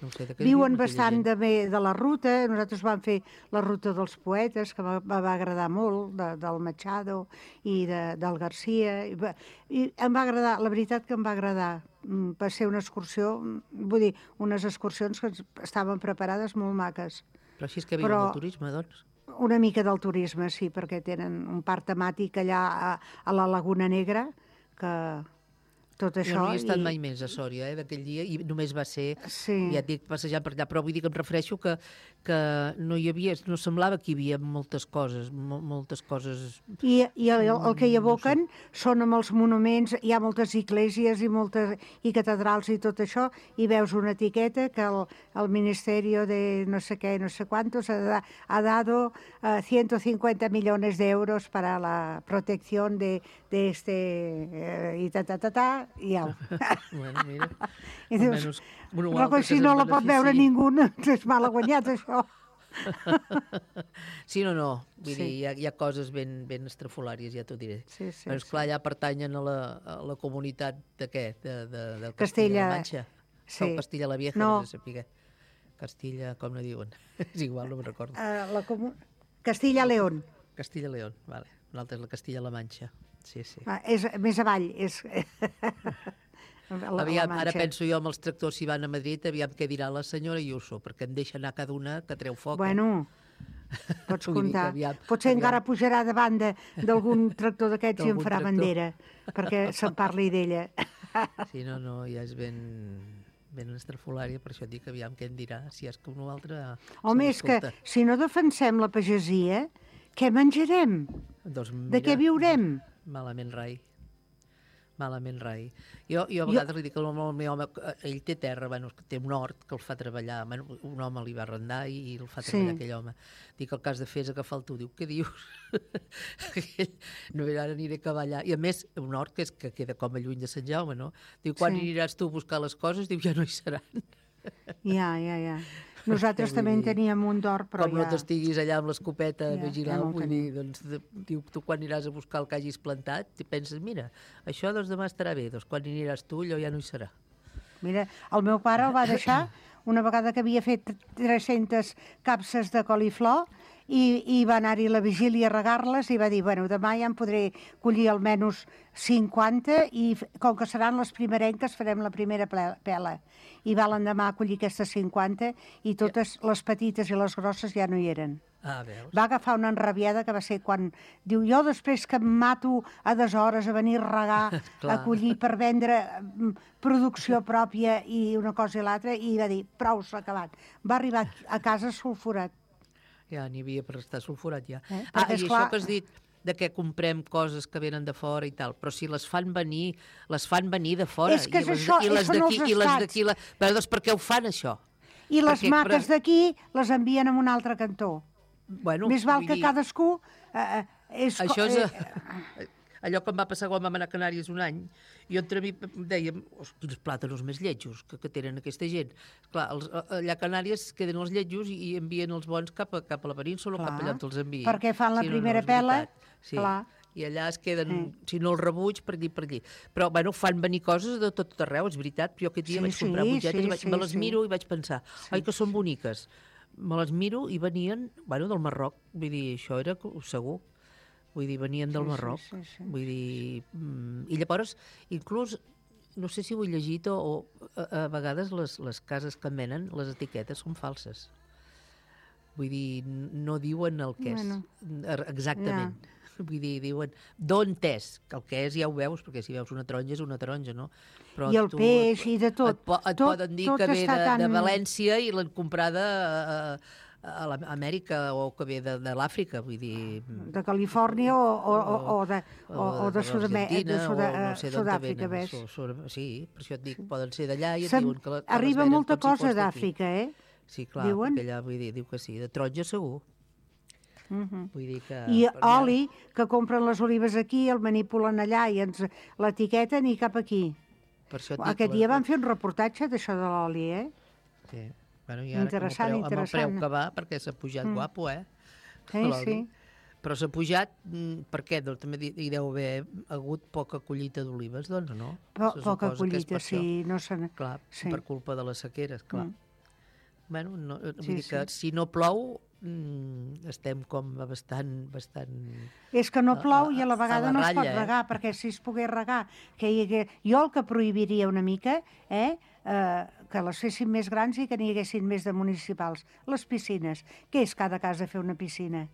No sé, viuen bastant de la ruta. Nosaltres vam fer la ruta dels poetes, que va agradar molt, del Machado i del Garcia. I em va agradar, la veritat que em va agradar. Va ser una excursió, vull dir, unes excursions que estaven preparades molt maques. Però així és que viuen del turisme, doncs? Una mica del turisme, sí, perquè tenen un parc temàtic allà a la Laguna Negra, que... tot això. Jo no hi he estat mai més a Sòria, d'aquell dia, i només va ser, ja et dic, passejant per allà, però vull dir que em refereixo que no hi havia, no semblava que hi havia moltes coses. I el que hi evoquen són amb els monuments, hi ha moltes esglésies i catedrals i tot això, i veus una etiqueta que el Ministerio de no sé què, no sé cuántos ha dado 150 millones de euros para la protección de este i i au. Bueno, mira. I dius, però si no la pot veure ningú, és mal guanyat, això. Sí, no. Vull dir, hi ha coses ben estrafolàries, ja t'ho diré. Però, esclar, allà pertanyen a la comunitat de què? Del Castilla-La Manxa? O Castilla la Vieja, no sé saber què. Castilla, com no diuen? És igual, no me'n recordo. Castilla-León. Castilla-León, vale. L'altra és la Castilla-La Manxa. Sí. És més avall. Aviam, ara penso jo amb els tractors si van a Madrid, aviam què dirà la senyora Ayuso, perquè em deixa anar cada una que treu foc. Bueno, pots comptar. Potser encara pujarà davant d'algun tractor d'aquests i en farà bandera, perquè se'n parli d'ella. Sí, no, ja és ben estrafolària, per això et dic, aviam què em dirà, si és que un o altre... Home, és que si no defensem la pagesia, què menjarem? De què viurem? Malament rai. Jo a vegades li dic al meu home, ell té terra, té un hort que el fa treballar, un home li va arrendar i el fa treballar aquell home. Dic, el que has de fer és agafar el tu. Diu, què dius? No, ara aniré a cavallar. I a més, un hort que queda com a lluny de Sant Jaume, no? Diu, quan aniràs tu a buscar les coses? Diu, ja no hi seran. Ja. Nosaltres també en teníem un d'hort, però com no t'estiguis allà amb l'escopeta vigilant, vull dir, doncs, diu, tu quan aniràs a buscar el que hagis plantat, i penses, mira, això doncs demà estarà bé, doncs quan aniràs tu, allò ja no hi serà. Mira, el meu pare el va deixar una vegada que havia fet 300 capses de coliflor i va anar-hi a la vigília a regar-les i va dir, bueno, demà ja en podré collir almenys 50 i com que seran les primerenques farem la primera pela. I va l'endemà a collir aquestes 50 i totes les petites i les grosses ja no hi eren. Veus? Va agafar una enrabiada que va ser quan... Diu, jo després que em mato a deshores a venir a regar, a collir per vendre producció pròpia i una cosa i l'altra, i va dir, prou, s'ha acabat. Va arribar a casa sulfurat. Ja n'hi havia per estar sulfurat, ja. I això que has dit, de què comprem coses que venen de fora i tal, però si les fan venir de fora. És que és això, són els estats. Però doncs per què ho fan, això? I les maques d'aquí les envien a un altre cantó. Més val que cadascú... Això és... Allò que em va passar quan vam anar a Canàries un any, jo entre mi dèiem, quins plàtanos més lletjos que tenen aquesta gent. Clar, allà a Canàries queden els lletjos i envien els bons cap a la península o cap allà on els envien. Perquè fan la primera pela. Sí. I allà es queden, si no el rebuig, per allí. Però, bueno, fan venir coses de tot arreu, és veritat. Però jo aquest dia vaig comprar butlletes i me les miro i vaig pensar, oi, que són boniques. Me les miro i venien, bueno, del Marroc. Vull dir, això era segur. Vull dir, venien del Marroc. Vull dir... I llavors, inclús, no sé si ho he llegit o a vegades les cases que en venen, les etiquetes són falses. Vull dir, no diuen el que és. Exactament. Vull dir, diuen d'on és, que el que és ja ho veus, perquè si veus una taronja és una taronja, no? Però i el peix i de tot. Et poden dir que ve de València i l'han comprada a l'Amèrica o que ve de l'Àfrica, vull dir... De Califòrnia o de Sud-àfrica, ves? Sí, per això et dic, poden ser d'allà i et diuen que... Arriba molta cosa d'Àfrica, Sí, clar, perquè allà, vull dir, diu que sí, de taronja segur. Vull dir que... I oli, que compren les olives aquí, el manipulen allà i ens l'etiqueten i cap aquí. Aquest dia van fer un reportatge d'això de l'oli, Sí. Bueno, i ara amb el preu que va, perquè s'ha pujat guapo, Sí. Però s'ha pujat, per què? Doncs també hi deu haver hagut poca collita d'olives, doncs, no? Poca collita, sí. Clar, per culpa de les sequeres, clar. Bueno, vull dir que si no plou, estem com bastant... És que no plou i a la vegada no es pot regar, perquè si es pogués regar... Jo el que prohibiria una mica, que les fessin més grans i que n'hi haguessin més de municipals. Les piscines. Què és cada casa fer una piscina?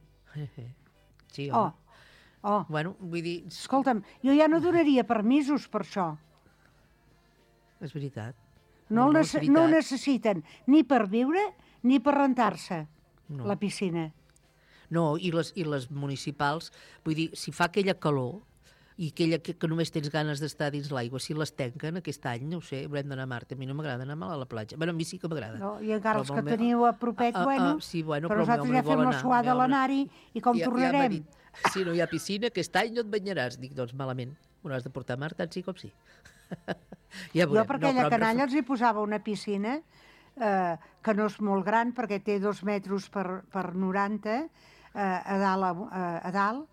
Sí, home. Bueno, vull dir... Escolta'm, jo ja no donaria permisos per això. És veritat. No ho necessiten ni per viure ni per rentar-se, la piscina. No, i les municipals, vull dir, si fa aquella calor i aquella que només tens ganes d'estar dins l'aigua, si les tanquen aquest any, no ho sé, haurem d'anar a Marte. A mi no m'agrada anar a la platja. Bueno, a mi sí que m'agrada. No, i encara els que teniu a propet, però nosaltres ja fem la suada a l'anar-hi i com tornarem? Si no hi ha piscina, aquest any no et banyaràs. Dic, doncs malament, m'ho has de portar a mar, tant sí com sí. Jo per aquella canalla els hi posava una piscina que no és molt gran perquè té 2 metres per 90 a dalt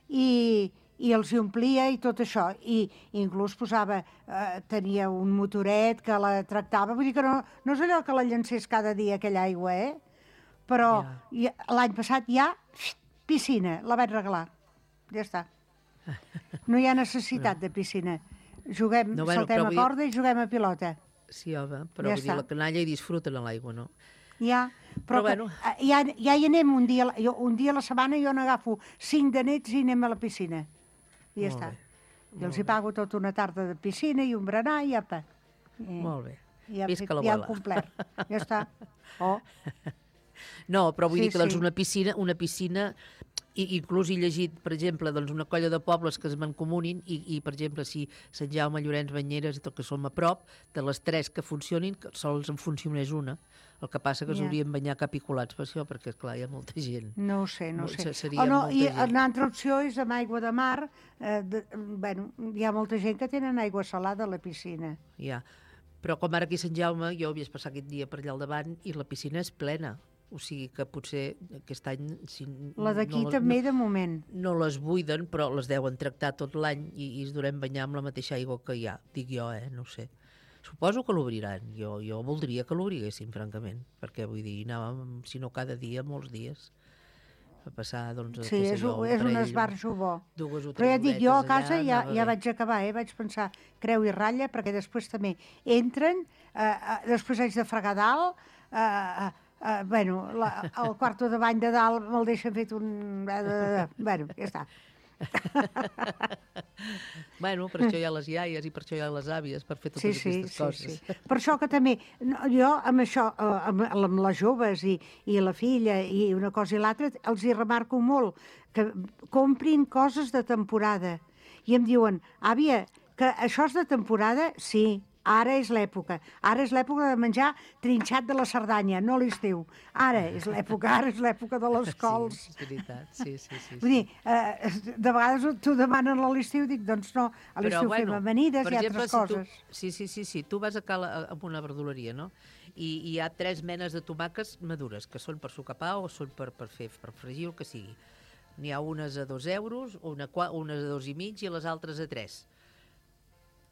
i els hi omplia i tot això, i inclús tenia un motoret que la tractava, vull dir que no és allò que la llancés cada dia aquella aigua, però l'any passat ja piscina, la vaig regalar, ja està. No hi ha necessitat de piscina. Juguem, No, bueno, saltem però a vull dir- corda i juguem a pilota. Sí, home, però Ja vull dir, està. la canalla hi disfruten a l'aigua, no? Ja, Però però bueno. ja hi anem un dia, un dia a la setmana jo n'agafo 5 de nets i anem a la piscina. I ja Molt està. bé, I els hi pago tota una tarda de piscina i un berenar i apa. Molt bé. Ja, Visca ja l'abuela. hem complert. Ja està. Oh. No, però vull Sí, dir que doncs, sí. una piscina i inclús he llegit, per exemple, doncs, una colla de pobles que es mancomunin i per exemple, si Sant Jaume, Llorenç, Banyeres i tot que som a prop, de les 3 que funcionin, que sols en funcionés una. El que passa que es Ja. haurien banyar capiculats per això, perquè, clar, hi ha molta gent. No ho sé, no ho sé. Seria no, molta I gent. una altra opció és amb aigua de mar. Bueno, hi ha molta gent que tenen aigua salada a la piscina. Ja. Però com ara aquí a Sant Jaume, jo havies passat aquest dia per allà al davant i la piscina és plena. O sigui que potser aquest any... Si La d'aquí també, de moment. No les buiden, però les deuen tractar tot l'any i es durem banyar amb la mateixa aigua que hi ha. Dic jo, no ho sé. Suposo que l'obriran. Jo voldria que l'obriguessin, francament, perquè vull dir, anàvem, si no cada dia, molts dies, a passar, doncs, Sí, és un esbarjo bo. Dues o Però ja tres dic, jo a horetes casa allà, ja anava bé. vaig acabar, vaig pensar creu i ratlla, perquè després també entren, després haig de fregar dalt, bueno, el quarto de bany de dalt me'l deixen fet un... Bueno, ja està. Bueno, per això hi ha les iaies i per això hi ha les àvies, per fer totes aquestes coses. Sí. Per això que també, jo amb això, amb les joves i la filla i una cosa i l'altra, els hi remarco molt que comprin coses de temporada. I em diuen, àvia, que això és de temporada? Sí, ara és l'època. Ara és l'època de menjar trinxat de la Cerdanya, no l'estiu. Ara és l'època de les cols. Sí, és veritat, sí. Vull dir, de vegades t'ho demanen a l'estiu, dic, doncs no, a l'estiu fem amanides i altres coses. Sí, tu vas a una verduleria, no? I hi ha 3 menes de tomàquets madures, que són per sucar pa o són per fregir, el que sigui. N'hi ha unes a 2 euros, unes a 2,5 i les altres a 3.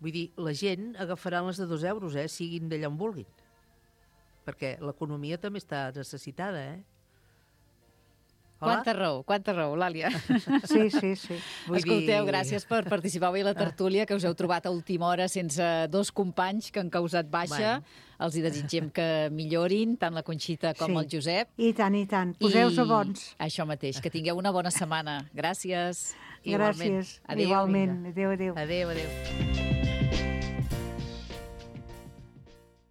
Vull dir, la gent agafarà les de 2 euros, siguin d'allà on vulguin. Perquè l'economia també està necessitada, Hola? Quanta raó, Làlia. Sí. Escolteu, gràcies per participar avui a la tertúlia, que us heu trobat a última hora sense 2 companys que han causat baixa. Els hi desitgem que millorin, tant la Conxita com el Josep. I tant. Poseu-se bons. Això mateix, que tingueu una bona setmana. Gràcies. Gràcies. Igualment. Adéu. Adéu.